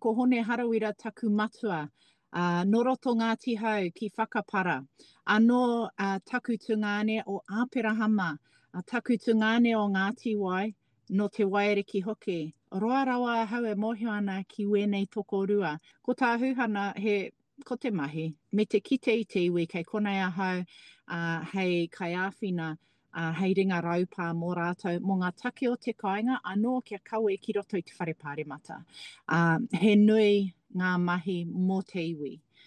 Ko Hone Harawira taku matua, ā, nō roto Ngāti Hau ki Whakapara. Anō ā, taku tungāne o Āperahama, ā, taku tungāne o Ngāti Wai, nō Te Waiariki hoki. Roa rawa ahau e mōhio ana ki wēnei tokorua. Ko tā Huhana, he, ko te mahi, me te kite i te iwi kei konei ahau, ā, hei kaiāwhina, ā, hei ringa raupā mō rātou, mō ngā take o te kāinga anō kia kawe ki roto i te whare pāremata. Ā, he nui ngā mahi mō te iwi.